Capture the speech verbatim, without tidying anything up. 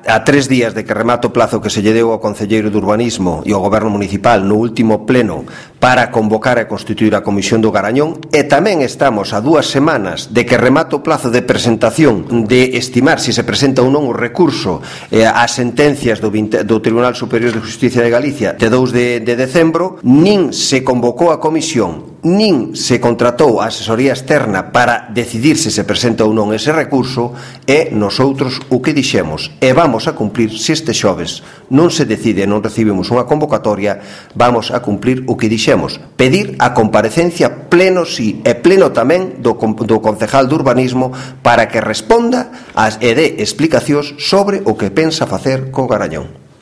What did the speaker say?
a tres días de que remate o plazo que se lle deu ao Concelleiro de Urbanismo e ao Goberno Municipal no último pleno para convocar e constituir a Comisión do Garañón, e tamén estamos a dúas semanas de que remate o plazo de presentación de estimar se se presenta ou non o recurso eh, ás sentencias do, do Tribunal Superior de Justicia de Galicia de dous de, de decembro, nin se convocou a comisión nin se contratou a asesoría externa para decidir se se presenta ou non ese recurso, e nosoutros o que dixemos e vamos a cumplir. Se este xoves non se decide e non recibimos unha convocatoria, vamos a cumplir o que dixemos, pedir a comparecencia pleno sí e pleno tamén do, do concejal de urbanismo para que responda as, e dé explicacións sobre o que pensa facer co Garañón.